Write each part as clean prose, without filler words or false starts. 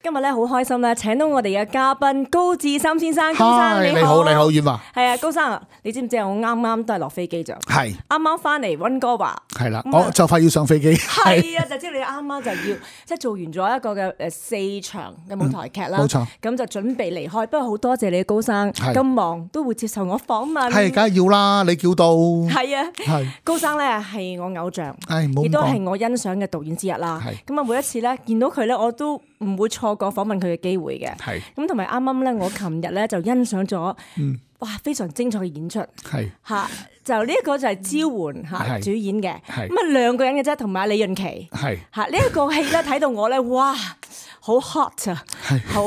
今日咧好開心咧，請到我哋嘅嘉賓高志森先生。高生你好，你好，婉華。係啊，高生，你知唔知我啱啱都係落飛機咋？係啱啱翻嚟溫哥華。係啦，我就快要上飛機。係啊，就知你啱啱就要即係做完咗一個嘅4場嘅舞台劇啦。冇錯。咁就準備離開，不過好多謝你高生咁忙都會接受我訪問。係，梗係要啦，你叫到。係啊，係高生咧係我偶像，冇亦都係我欣賞嘅導演之一啦。咁啊，每一次咧見到佢咧，我都唔會錯過訪問佢嘅機會嘅。係咁同埋啱啱咧，我琴日咧就欣賞咗，哇，非常精彩嘅演出。係嚇，就呢一個就係招媛嚇主演嘅。係咁啊兩個人嘅啫，同埋李潤琪。係嚇呢一個戲咧睇到我咧，哇，好 hot 啊，好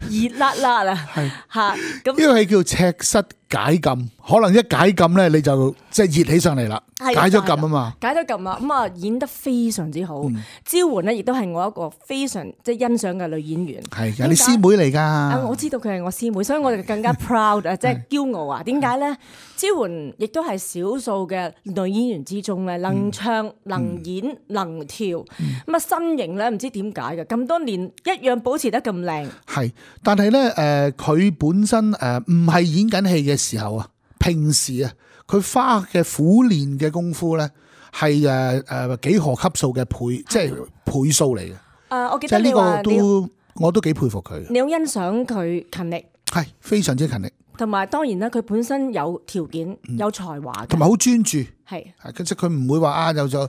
熱辣辣啊。係嚇咁呢個戲叫赤室解禁，可能一解禁咧你就即係熱起上嚟啦，解咗禁啊嘛，解咗禁啊，咁啊演得非常之好。招媛咧亦都係我一個非常即係欣賞嘅女演員。係你師妹嚟㗎。我知道佢係我師妹，所以我哋更加 proud 啊，即係驕傲啊。點解咧？招媛亦都係少數嘅女演員之中咧，能唱、能演、能跳。咁啊身形咧唔知點解嘅，咁多年一樣保持得咁靚。係，但係咧佢本身唔係演緊戲嘅時候啊，平時啊佢花嘅苦練嘅功夫咧係幾何級數嘅倍，即係倍數嚟嘅。我記得你話我都幾佩服佢。你好欣賞佢勤力，係非常之勤力。同埋當然啦，佢本身有條件、有才華，同埋好專注。係，即係佢唔會話啊，又做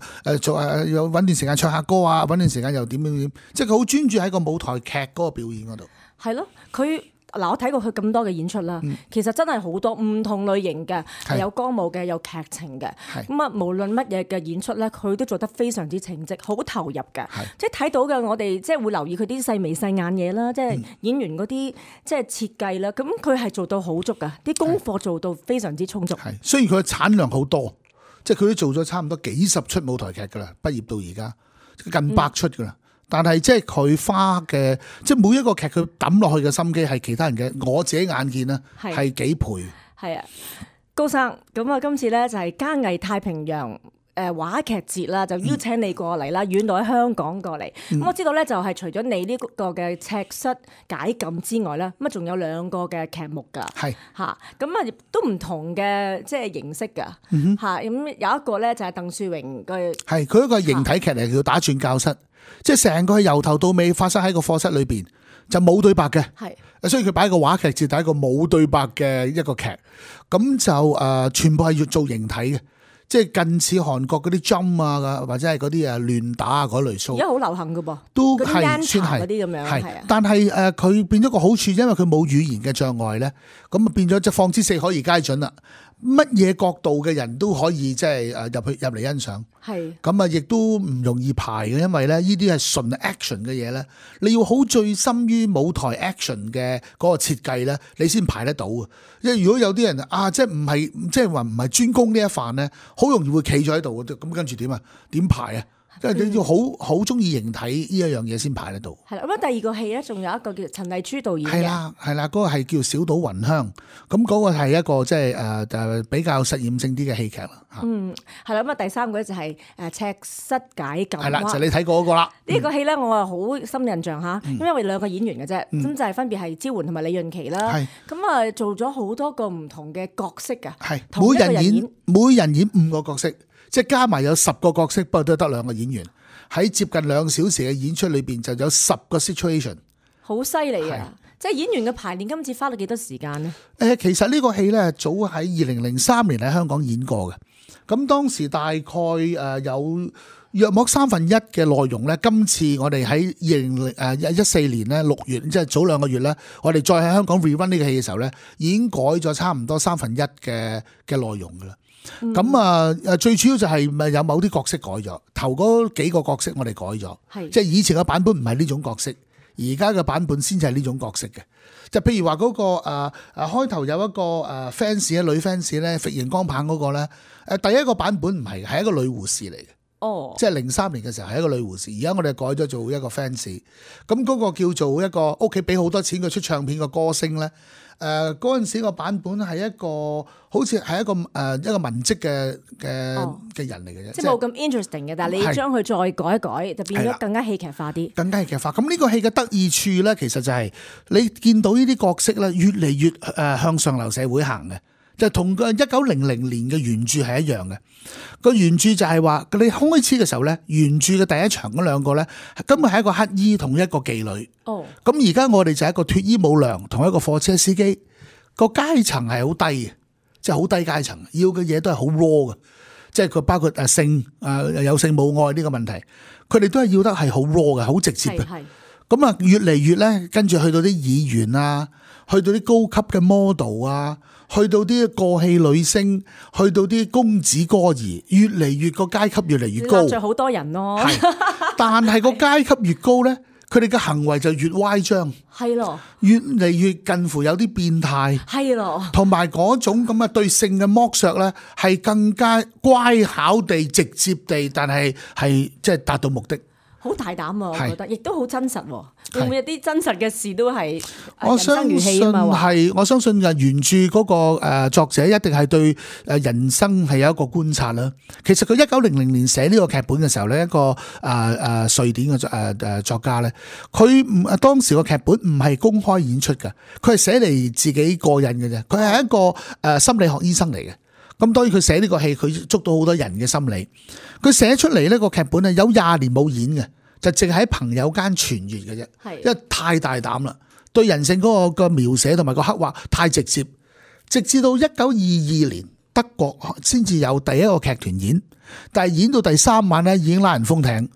有揾段時間唱下歌啊，揾段時間又點點點，即係佢好專注喺個舞台劇嗰個表演嗰度。係咯，佢。嗱，我睇過佢咁多嘅演出啦，其實真係好多唔同類型嘅，有歌舞嘅，有劇情嘅。咁啊，無論乜嘢嘅演出咧，佢都做得非常之稱職，好投入嘅。即係睇到嘅，我哋即係會留意佢啲細眉細眼嘢啦，即係演員嗰啲即係設計啦。咁佢係做到好足噶，啲功課做到非常之充足。係，雖然佢嘅產量好多，即係佢都做咗差唔多幾十出舞台劇噶啦，畢業到而家近100出噶啦。但係即係佢花嘅，即係每一個劇佢抌落去嘅心機係其他人嘅，我自己眼見啦係幾倍。係啊，高生，咁啊今次咧就係嘉藝太平洋話劇節啦，就邀請你過嚟啦，遠到喺香港過嚟。咁我知道咧就係除咗你呢個嘅赤室解禁之外咧，咁啊仲有2個嘅劇目㗎。係嚇，咁啊都唔同嘅即係形式㗎。嚇，咁有一個咧就係鄧樹榮嘅。係佢一個形體劇嚟，叫打轉教室。即係成個係由頭到尾發生喺個課室裏邊，就冇對白嘅。係，所以佢擺個話劇節，第一個冇對白嘅一個劇，咁就全部係要做形體嘅，即係近似韓國嗰啲 jump 啊，或者係嗰啲亂打啊嗰類 show。而家好流行噶噃，都係算係嗰啲咁樣。係，但係佢變咗個好處，因為佢冇語言嘅障礙咧，咁啊變咗即係放之四海而皆準啦。乜嘢角度嘅人都可以即係入嚟欣賞，係咁啊，亦都唔容易排嘅，因為咧呢啲係純 action 嘅嘢咧，你要好醉心於舞台 action 嘅嗰個設計咧，你先排得到啊！因為如果有啲人即係唔係即係話唔係專攻呢一範咧，好容易會企咗喺度，咁跟住點啊？點排啊？即係你要好中意形體呢一樣嘢先排得到。係啦，咁第2個戲咧，仲有一個叫陳麗珠導演嘅。係啦，嗰個係叫小島雲香，咁嗰個係一個即係比較實驗性啲嘅戲劇啦。係啦，咁啊第3個咧就係赤室解禁。係啦，就你睇過嗰個啦。呢個戲咧，我係好深印象嚇，因為2個演員嘅啫，咁就係分別係招媛同埋李潤琪啦。咁啊做咗好多個唔同嘅角色㗎。係，每人演5個角色。即係加埋有10個角色，不過都得2個演員喺接近2小時嘅演出裏邊，就有10個 situation，好犀利啊！即係演員嘅排練，今次花咗幾多時間呢？其實呢個戲咧，早喺2003年喺香港演過嘅。咁當時大概有約莫1/3嘅內容咧。今次我哋喺2014年咧6月，即係早2個月咧，我哋再喺香港 rerun 呢個戲嘅時候咧，已經改咗差唔多1/3嘅內容噶啦。咁最主要就係咪有某啲角色改咗，頭嗰幾個角色我哋改咗，即係以前嘅版本唔係呢種角色，而家嘅版本先至係呢種角色嘅。就譬如話嗰個開頭有一個fans 女 fans 咧，揈熒光棒嗰個咧，第一個版本唔係，係一個女護士嚟嘅。哦，即係03年嘅時候係一個女護士，而家我哋改咗做一個 fans。咁嗰個叫做一個屋企俾好多錢佢出唱片嘅歌星咧。嗰陣時個版本係一個好似係一個文職嘅人嚟嘅啫，即係冇咁 interesting 嘅，但係你將佢再改一改，就變咗更加戲劇化啲。更加戲劇化。咁呢個戲嘅得意處咧，其實就係你見到呢啲角色咧，越嚟越向上流社會行嘅。就同個1900年嘅原著係一樣嘅。個原著就係話，你開始嘅時候咧，原著嘅第一場嗰兩個咧，根本係一個乞衣同一個妓女。哦，咁而家我哋就係一個脫衣舞娘同一個貨車司機，個階層係好低嘅，即係好低階層，要嘅嘢都係好 raw 嘅，即係佢包括性有性冇愛呢個問題，佢哋都係要得係好 raw 嘅，好直接嘅。咁啊，越嚟越咧，跟住去到啲議員啊，去到啲高級嘅 model 啊，去到啲過氣女星，去到啲公子哥兒，越嚟越個階級越嚟越高，得罪好多人咯。但係個階級越高咧，佢哋嘅行為就越歪張，係咯，越嚟越近乎有啲變態，係咯，同埋嗰種咁嘅對性嘅剝削咧，係更加乖巧地、直接地，但係即係達到目的。好大膽啊！我覺得，亦都好真實。會唔會有啲真實嘅事都係我相信係，我相信嘅原著嗰個作者一定係對人生係有一個觀察啦。其實佢1900年寫呢個劇本嘅時候咧，一個瑞典嘅作家咧，佢當時個劇本唔係公開演出嘅，佢係寫嚟自己過癮嘅啫。佢係一個心理學醫生嚟嘅。咁當然佢寫呢個戲，佢捉到好多人嘅心理。佢寫出嚟呢個劇本有20年冇演嘅，就淨係喺朋友間傳閱嘅啫。因為太大膽啦，對人性嗰個描寫同埋個刻畫太直接。直至到1922年，德國先至有第一個劇團演，但係演到第3晚咧，已經拉人封艇，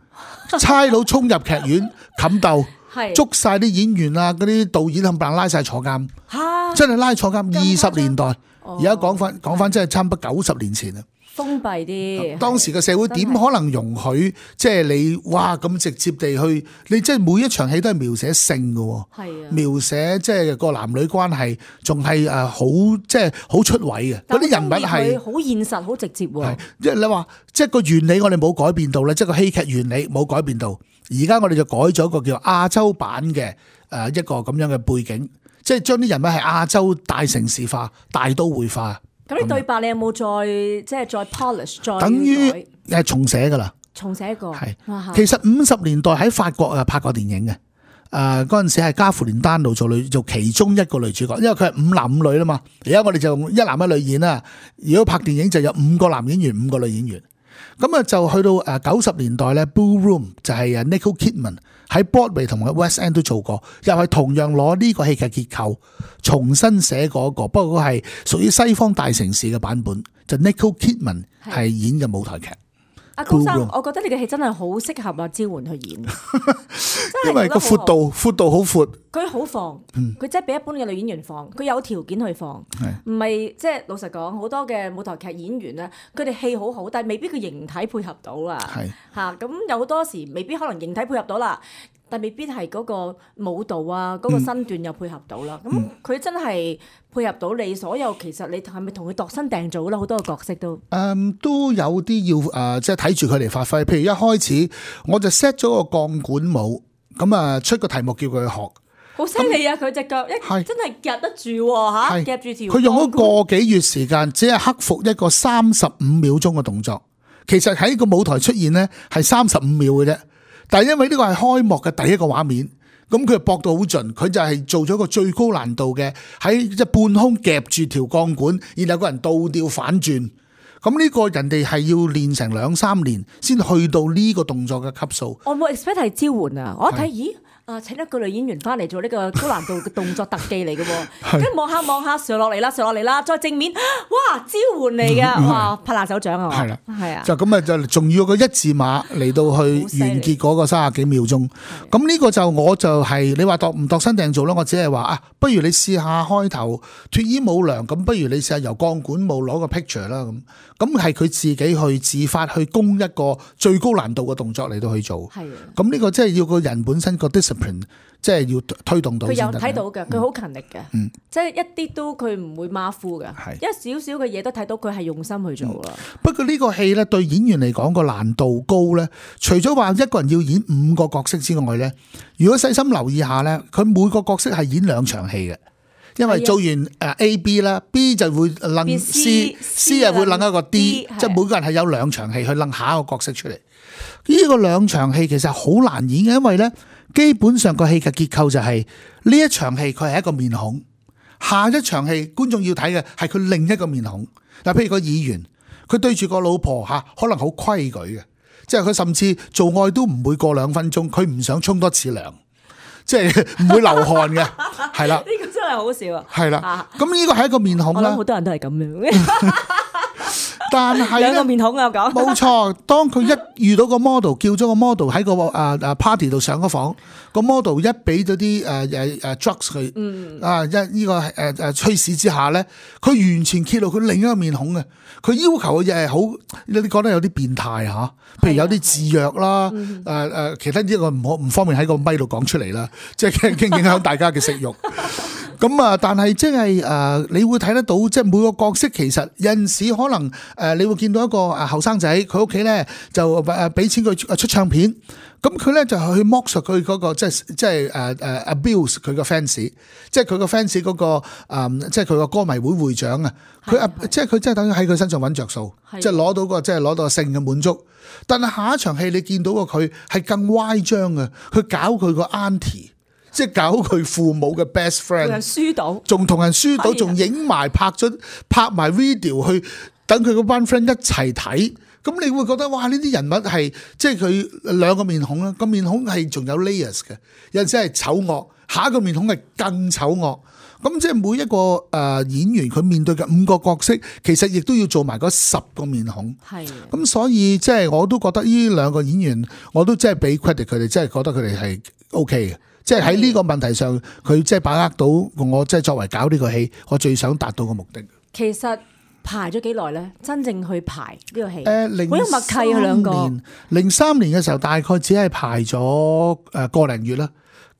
差佬衝入劇院冚鬥，捉晒啲演員啊，嗰啲導演冚唪唥拉晒坐監，真係拉坐監。20年代。而家講翻，真係差唔多90年前啦。封閉啲，當時嘅社會點可能容許即係你哇咁直接地去？你即係每一場戲都係描寫性嘅，描寫即係個男女關係，仲係好即係好出位嘅。嗰啲人物係好現實、好直接喎。即係你話，即係個原理我哋冇改變到咧，即係個戲劇原理冇改變到。而家我哋就改咗一個叫亞洲版嘅一個咁樣嘅背景。即係將啲人物係亞洲大城市化、大都會化。咁你對白你有冇再 polish 再等於係重寫㗎啦？重寫過係。其實50年代喺法國拍過電影嘅。嗰陣時係加芙蓮丹奴做其中一個女主角，因為佢係5男5女啦嘛。而家我哋就用1男1女演啦。如果拍電影就有5個男演員、5個女演員。咁啊就去到90年代咧 ，Blue Room 就係Nicole Kidman 喺 Broadway 同埋 West End 都做過，又係同樣攞呢個戲劇結構重新寫過一個，不過係屬於西方大城市嘅版本，就 Nicole Kidman 係演嘅舞台劇。阿高生，我覺得你嘅戲真係好適合阿招媛去演，因為個闊度好闊，佢好放，佢真係比一般嘅女演員放，佢有條件去放，唔係即係老實講，好多嘅舞台劇演員咧，佢哋戲好好，但係未必佢形體配合到啊，嚇咁有好多時未必可能形體配合到啦。但未必係嗰個舞蹈啊，嗰個身段又配合到啦。咁佢真係配合到你所有，其實你係咪同佢度身訂造啦？好多個角色都都有啲要即係睇住佢嚟發揮。譬如一開始我就 set 咗個鋼管舞，咁出個題目叫佢去學。好犀利啊！佢隻腳真係夾得住喎，夾住條。佢用咗個幾月時間，只係克服一個35秒鐘嘅動作。其實喺個舞台出現呢係35秒嘅啫。但係因為呢個係開幕嘅第一個畫面，咁佢搏到好盡，佢就係做咗一個最高難度嘅喺即半空夾住條鋼管，然後個人倒吊反轉。咁呢個人哋係要練成2-3年先去到呢個動作嘅級數。我冇 expect 係招媛啊！我一睇咦？請一個女演員翻嚟做呢個高難度嘅動作特技嚟嘅喎，跟住望下上落嚟啦，再正面，哇！招媛嚟嘅，哇！拍爛手掌啊！係啦，係啊，就咁就仲要個一字馬嚟到去完結嗰個30幾秒鐘。咁呢個就我就係你話度唔度身訂造啦，我只係話不如你試下開頭脫衣舞娘，咁不如你試下由鋼管舞攞個 picture 啦咁。咁係佢自己去自發去攻一個最高難度嘅動作嚟到去做。係啊，咁呢個即係要個人本身個 discipline。discipline， 即係要推動到。佢有睇到嘅，佢好勤力嘅，即係一啲都佢唔會馬虎嘅，一少少嘅嘢都睇到佢係用心去做啦。不過呢個戲咧對演員嚟講個難度高咧，除咗話一個人要演5個角色之外咧，如果細心留意下咧，佢每個角色係演2場戲嘅。因為做完A、B 啦，B 就會掕 C 又會掕一個 D， 即係每個人係有2場戲去掕下一個角色出嚟。呢個2場戲其實好難演嘅，因為咧基本上個戲嘅結構就係呢一場戲佢係一個面孔，下一場戲觀眾要睇嘅係佢另一個面孔。嗱，譬如個議員，佢對住個老婆嚇，可能好規矩嘅，即係佢甚至做愛都唔會過2分鐘，佢唔想沖多次涼。即係唔會流汗嘅，係啦。呢個真係好笑啊！係啦，咁呢個係一個面孔啦。我諗好多人都係咁樣。但係兩個面孔啊，講冇錯。當佢一遇到個 model， 叫咗個 model 喺個party 度上咗房，個 model 一俾咗啲drugs 佢，呢個驅使之下咧，佢完全揭露佢另一個面孔嘅。佢要求嘅嘢係好，你覺得有啲變態嚇，譬如有啲自虐啦，其他呢個唔方便喺個咪度講出嚟啦，即係驚影響大家嘅食慾。咁啊，但係即係你會睇得到，即係每個角色其實有陣時可能你會見到一個後生仔，佢屋企咧就俾錢佢出唱片，咁佢咧就去剝削佢嗰個即係abuse 佢個 fans， 即係佢個 fans 嗰個即係佢個歌迷會會長啊，佢即係佢真係等於喺佢身上揾着數，即係攞到個即係攞到性嘅滿足。但係下一場戲你見到個佢係更歪張嘅，佢搞佢個 auntie。即係搞佢父母嘅 best friend， 同人輸到，仲同人輸到，仲影埋拍埋 video 去等佢嗰班 friend 一齊睇。咁你會覺得哇！呢啲人物係即係佢2個面孔啦，個面孔係仲有 layers 嘅，有陣時係醜惡，下一個面孔係更醜惡。咁即係每一個演員佢面對嘅5個角色，其實亦都要做埋嗰10個面孔。係。咁所以即係我都覺得呢2個演員，我都真係俾 credit 佢哋，真係覺得佢哋係 OK 嘅。即係喺呢個問題上，佢即係把握到我即係作為搞呢個戲，我最想達到嘅目的。其實排咗幾耐咧？真正去排呢個戲，好有默契啊！2個。03年嘅時候，大概只係排咗個零月啦。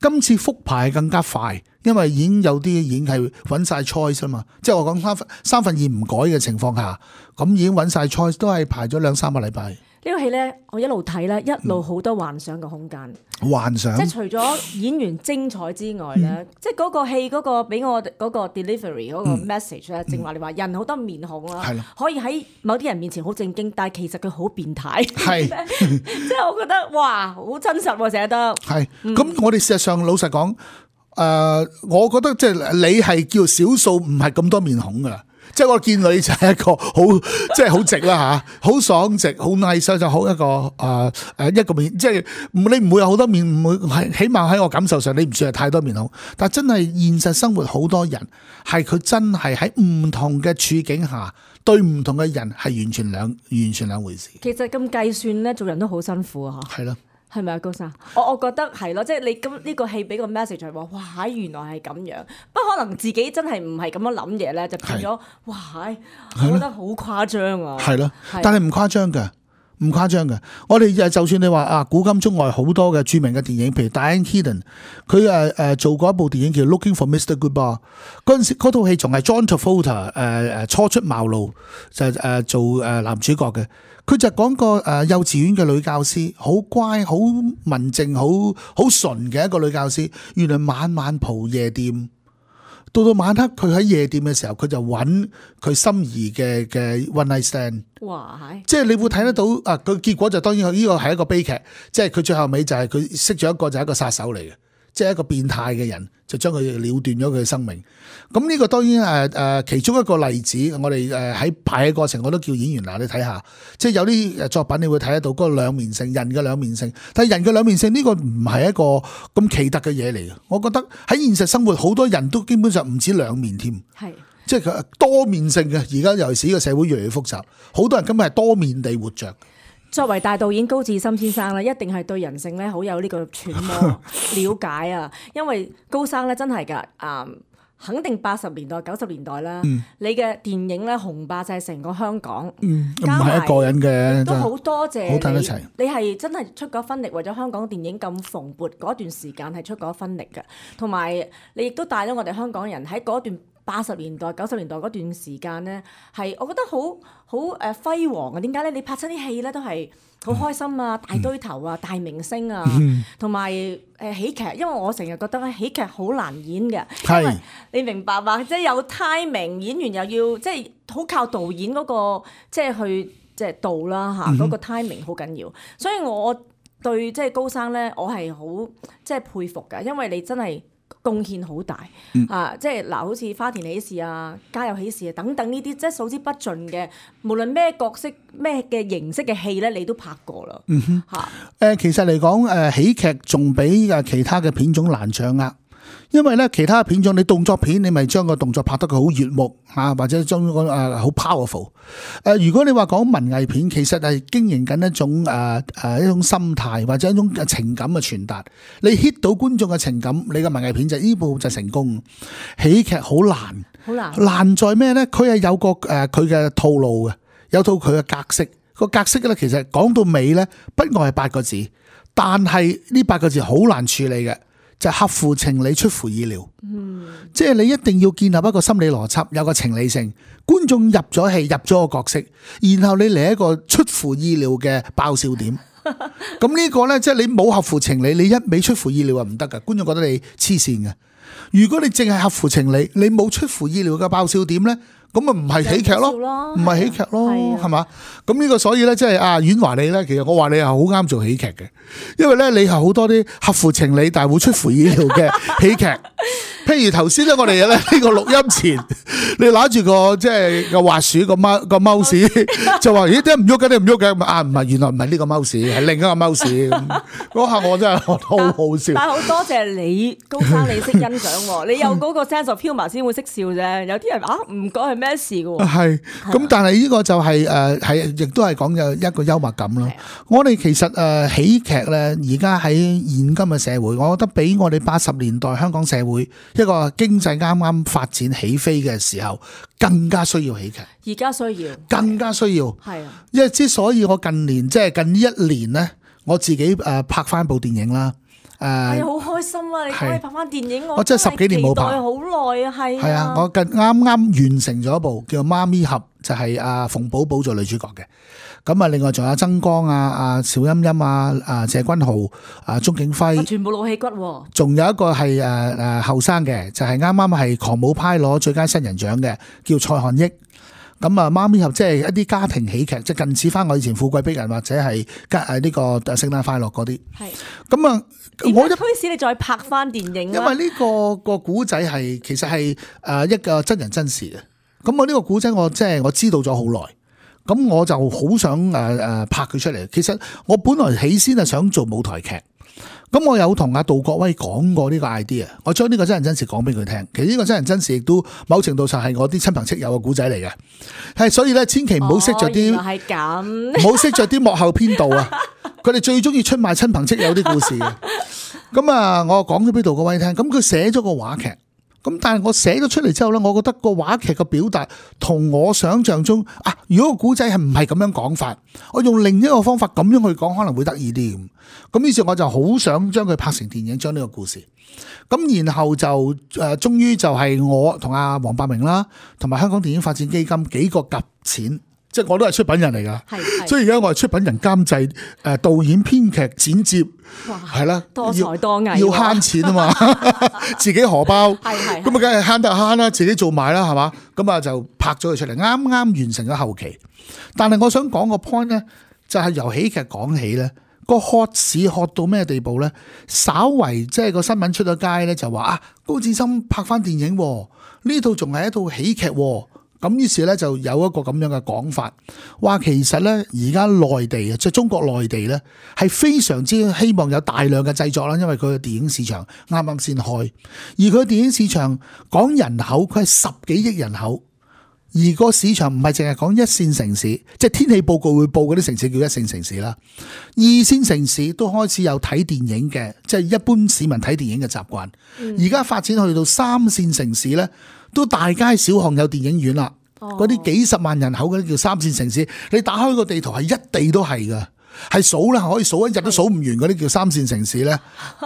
今次復排更加快，因為已經有啲已經係揾晒 choice 啊嘛。即係我講三分二唔改嘅情況下，咁已經揾晒 choice，都係排咗2-3個禮拜。呢個戲咧，我一路睇咧，一路好多幻想嘅空間。幻想，即係除咗演員精彩之外咧，即係嗰個戲嗰個俾我嗰個 delivery 嗰個 message 咧，正話你話人好多面孔啦，可以喺某啲人面前好正經，但係其實佢好變態。係，即係我覺得哇，好真實喎，寫得。係，咁我哋事實上老實講，我覺得即係你係叫少數唔係咁多面孔噶。即係我見你就係一個好即係好直啦嚇，好爽直，好 nice 就好一個一個面，即係你唔會有好多面，唔會係起碼喺我感受上你唔算係太多面孔，但係真係現實生活好多人係佢真係喺唔同嘅處境下對唔同嘅人係完全兩回事。其實咁計算咧，做人都好辛苦啊！嚇，係咯。係咪啊，高生？我覺得係咯，即係你咁呢個戲俾個 message 係話，哇！原來係咁樣，不過可能自己真係唔係咁樣諗嘢咧，就變咗哇！我覺得好誇張啊！係咯，但係唔誇張嘅，唔誇張嘅。我哋就算你話古今中外好多嘅著名嘅電影，譬如 Diane Keaton， 佢做過一部電影叫 Looking for Mr. Goodbar， 嗰陣時嗰套戲仲係 John Travolta 初出茅廬就做男主角嘅。佢就講個幼稚園嘅女教師，好乖、好文靜、好純嘅一個女教師。原來晚晚蒲夜店，到晚黑佢喺夜店嘅時候，佢就揾佢心儀嘅 one night stand。哇！即係你會睇得到個結果就當然呢個係一個悲劇，即係佢最後尾就係佢識咗一個就係一個殺手嚟嘅。即係一個變態嘅人，就將佢了斷咗佢嘅生命。咁呢個當然其中一個例子，我哋喺排嘅過程，我都叫演員嗱，你睇下，即係有啲作品你會睇得到嗰個兩面性，人嘅兩面性。但係人嘅兩面性呢個唔係一個咁奇特嘅嘢嚟嘅。我覺得喺現實生活，好多人都基本上唔止兩面添，係即係佢多面性嘅。而家尤其是呢個社會越嚟越複雜，好多人根本係多面地活着。作為大導演高志森先生咧，一定係對人性咧好有呢個揣摩了解啊！因為高生咧真係㗎，肯定80年代、90年代啦。你嘅電影咧紅霸就係成個香港，唔係一個人嘅，都好多謝好睇得齊。你係真係出過分力，為咗香港電影咁蓬勃嗰段時間係出過分力嘅，同埋你亦都帶咗我哋香港人喺嗰段80年代、90年代嗰段時間咧，係我覺得好輝煌啊！點解咧？你拍親啲戲咧都係好開心啊，大堆頭啊，大明星啊，同埋喜劇。因為我成日覺得咧喜劇好難演嘅，因為你明白嘛？即係有 timing，演員又要即係好靠導演嗰個即係去即係導啦嚇，嗰個 timing 好緊要。所以我對即係高生咧，我係好即係佩服㗎，因為你真係貢獻好大啊！即係嗱，好似花田喜事啊、家有喜事啊等等呢啲，即係數之不盡嘅，無論咩角色、咩嘅形式嘅戲咧，你都拍過啦嚇。其實嚟講，喜劇仲比其他嘅片種難掌握。因為咧，其他片種你動作片，你咪將個動作拍得佢好悅目啊，或者將個好 powerful。如果你話講文藝片，其實係經營緊一種一種心態或者一種情感嘅傳達。你 hit 到觀眾嘅情感，你嘅文藝片就呢部就成功。喜劇好難，難在咩咧？佢係有個佢嘅套路嘅，有套佢嘅格式。個格式咧，其實講到尾咧，不外係8個字，但係呢8個字好難處理嘅。就合乎情理，出乎意料。即係你一定要建立一個心理邏輯，有個情理性。觀眾入咗戲，入咗個角色，然後你嚟一個出乎意料嘅爆笑點。咁呢個呢，即係你冇合乎情理，你一味出乎意料係唔得㗎。觀眾覺得你黐線嘅。如果你淨係合乎情理，你冇出乎意料嘅爆笑點呢，咁咪唔係喜劇咯，唔係喜劇咯，係嘛？咁呢個所以咧，即係阿婉華你咧，其實我話你係好啱做喜劇嘅，因為咧你係好多啲合乎情理但係會出乎意料嘅喜劇。譬如頭先咧，我哋咧呢個錄音前，你攞住個即係個滑鼠個mouse，就話咦點解唔喐嘅？你唔喐嘅啊？唔係，原來唔係呢個 mouse，係另一個 mouse。嗰下我真係好好笑。但係好多謝你高生，你識欣賞喎，你有嗰個 sense of humour先會識笑啫。有啲人唔講係咩事嘅喎。係咁，但係呢個就係係亦都係講有一個幽默感咯。我哋其實喜劇咧，而家喺現今嘅社會，我覺得比我哋80年代香港社會一個經濟啱啱發展起飛嘅時候，更加需要喜劇。而家需要，更加需要。係啊，因為之所以我近年即係近呢1年咧，我自己拍翻部電影啦。係好開心啊！你可以拍翻電影，我真係10幾年冇拍，好耐啊，係啊。我啱啱完成咗一部叫《媽咪俠》，就係馮寶寶做女主角嘅。咁啊，另外仲有曾江啊、邵音音啊、謝君豪啊、鍾景輝，全部老戲骨喎。仲有一個係後生嘅，就係啱啱係狂舞派攞最佳新人獎嘅，叫蔡漢益。咁啊，媽咪俠即係一啲家庭喜劇，即係近似翻我以前富貴逼人或者係呢個聖誕快樂嗰啲。係。咁啊，我推使你再拍翻電影。因為呢個古仔係其實係一個真人真事嘅。咁我呢個古仔我即係我知道咗好耐，咁我就好想拍佢出嚟。其實我本來起先係想做舞台劇。咁我有同阿杜國威講過呢個 idea， 我將呢個真人真事講俾佢聽。其實呢個真人真事亦都某程度上係我啲親朋戚友嘅古仔嚟嘅，係所以咧千祈唔好識着啲，係咁，唔好識着啲幕後編導啊！佢哋最中意出賣親朋戚友啲故事嘅。咁啊，我講咗俾杜國威聽，咁佢寫咗個話劇。咁但係我寫咗出嚟之後咧，我覺得個話劇嘅表達同我想象中如果個古仔係唔係咁樣講法，我用另一個方法咁樣去講可能會得意啲咁。咁於是我就好想將佢拍成電影，將呢個故事。咁然後就終於就係我同阿黃百鳴啦，同埋香港電影發展基金幾個夾錢。即係我都係出品人嚟㗎，所以而家我係出品人、監製、導演、編劇、剪接，係啦，多才多藝，要慳錢啊嘛，自己荷包，咁啊梗係慳得慳啦，自己做埋啦，係嘛，咁啊就拍咗佢出嚟，啱啱完成咗後期。但係我想講個 point 咧，就係由喜劇講起咧，個喝市喝到咩地步咧？稍為即係個新聞出咗街咧，就話高志森拍翻電影，呢套仲係一套喜劇。咁於是咧就有一個咁樣嘅講法，話其實咧而家內地即係中國內地咧係非常之希望有大量嘅製作啦，因為佢嘅電影市場啱啱先開，而佢嘅電影市場講人口佢係10幾億人口，而個市場唔係淨係講一線城市，即係天氣報告會報嗰啲城市叫一線城市啦。二線城市都開始有睇電影嘅，即係一般市民睇電影嘅習慣。而家發展去到三線城市呢，都大街小巷有電影院啦。嗰啲幾十萬人口嗰啲叫三線城市，你打開個地圖係一地都係㗎。係數啦，可以數一日都數唔完嗰啲叫三線城市呢，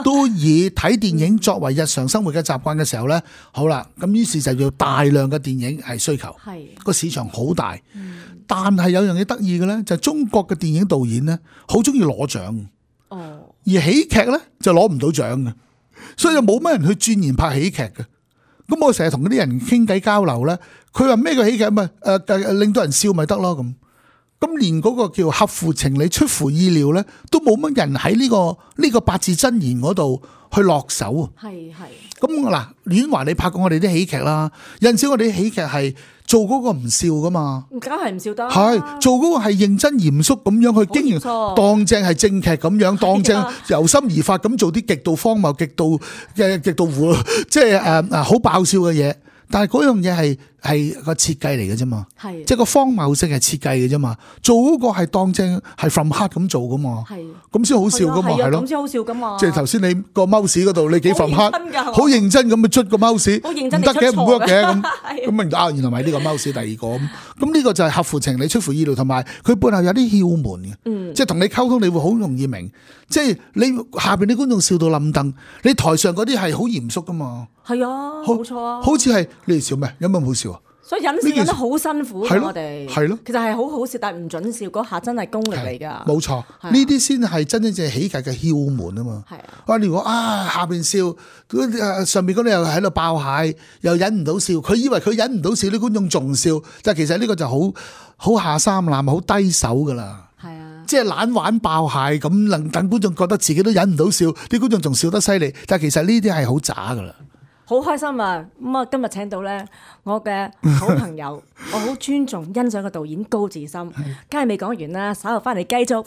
都以睇電影作為日常生活嘅習慣嘅時候呢，好啦，咁於是就要大量嘅電影係需求，個市場好大。但係有樣嘢得意嘅呢，就係中國嘅電影導演呢，好中意攞獎，而喜劇呢，就攞唔到獎嘅，所以就冇乜人去鑽研拍喜劇嘅。咁我成日同嗰啲人傾偈交流呢，佢話咩叫喜劇咪令到人笑咪得咯咁。咁連嗰個叫合乎情理、出乎意料咧，都冇乜人喺呢個八字真言嗰度去落手啊！係。咁嗱，婉華你拍過我哋啲喜劇啦，有陣時我哋啲喜劇係做嗰個唔笑噶嘛，梗係唔笑得。係做嗰個係認真嚴肅咁樣去經營，當正係正劇咁樣，當正由心而發咁做啲極度荒謬、極度即係好爆笑嘅嘢。但係嗰樣嘢係個設計嚟嘅啫嘛，即係個荒謬性係設計嘅啫嘛。做嗰個係當正係 from heart 咁做噶嘛，咁先好笑噶嘛，係咯，咁先好笑噶嘛。即係頭先你個 mouse 嗰度，你幾 from heart，好認真咁去捽個 mouse，唔得嘅唔 work 嘅咁明啊？原來咪呢個 mouse 第二個咁呢個就係合乎情理、出乎意料，同埋佢背後有啲竅門嘅，即係同你溝通，你會好容易明。即係你下邊啲觀眾笑到冧凳，你台上嗰啲係好嚴肅噶嘛。係啊，冇錯啊。好似係你哋笑咩？有咩唔好笑啊？所以忍笑忍得好辛苦嘅，我哋係咯，其實係好好笑，但係唔準笑嗰下真係功力嚟㗎。冇錯，呢啲先係真真正喜劇嘅竅門啊嘛。係如果下邊笑，上邊嗰啲又喺度爆蟹，又忍唔到笑，佢以為佢忍唔到笑，啲觀眾仲笑，但係其實呢個就好下三濫，好低手㗎啦。即係懶玩爆蟹咁，能等觀眾覺得自己都忍唔到笑，啲觀眾仲笑得犀利，但係其實呢啲係好渣噶啦。好開心啊！咁啊，今日請到咧我嘅好朋友，我好尊重欣賞嘅導演高志森，梗係未講完啦，稍後翻嚟繼續。